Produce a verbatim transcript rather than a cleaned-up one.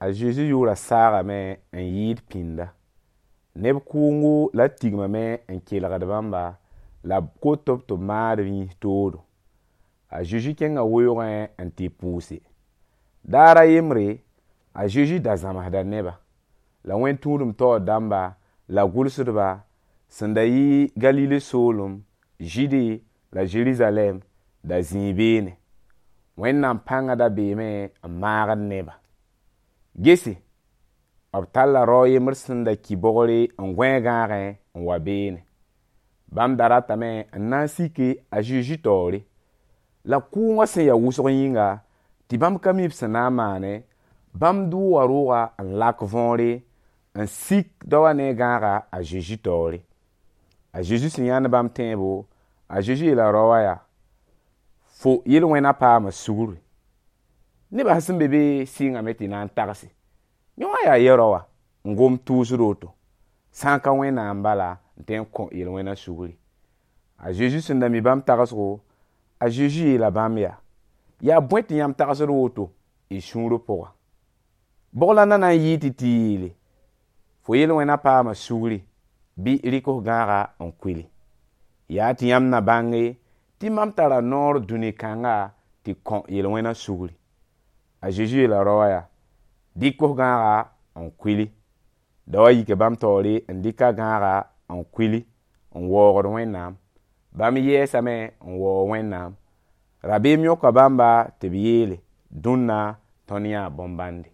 A Zezi yʋʋra saagame n yɩɩd pĩnda. Neb kʋʋngo la tigmame n kelgd bãmba la b kot-b tɩ b maad b yĩns toodo. A Zezi kẽnga weoogẽ n tɩ pʋʋse. Daar a yembre, a Zezi da zãmsda neba. La wẽn-tũudem taoor dãmba la gʋlsdba sẽn da yɩ Galile soolem, Zɩɩde la Zerizalɛɛm da zĩi beene. Wẽnnaam pãnga da beeme n maagd neba. Gese, b talla rao yembr sẽn da ki bogre n gõe gãagẽ n wa beene. Bãmb da ratame n na n sike a Zezi taoore. La kʋʋngã sẽn ya wʋsg yĩnga, tɩ bãmb ka mi b sẽn na n maane, bãmb dʋʋga rooga n lak võore n sik daowã ne a gãaga a Zezi taoore. A Zezi sẽn yãnd bãmb tẽebo, a Zezi yeela rao wã yaa: fo yel-wẽna paama sugri. Nebã sẽn be be sɩngame tɩ na n tagse. Yẽ wã yaa yɛ-rao wã n gom tʋʋsd woto, sã n ka Wẽnnaam bala n tõe n kõ yel-wẽna sugri. A Zezi sẽn da mi bãmb tagsgo, a Zezi yeela bãmb yaa: yaa bõe tɩ yãmb tagsd woto y sũurã pʋga? Bʋg la na na n yɩɩ tɩ tɩ yeele: fo yel-wẽna paama sugri, bɩ rɩk f gãaga n kuili. Yaa tɩ yãmb na bãnge tɩ mam tara noor dũni kãnga tɩ kõ yel-wẽna sugri. A Zezi yeela rao wã yaa: dɩk f gãaga n kuili. Daowã yika bãmb taoore n dɩk a gãaga n kuili n waoogd Wẽnnaam. Bãmb yɛɛsame n waoog Wẽnnaam. Rabeem yõka bãmba tɩ b yeele: dũnna tõnd yãa bõn-bãnde.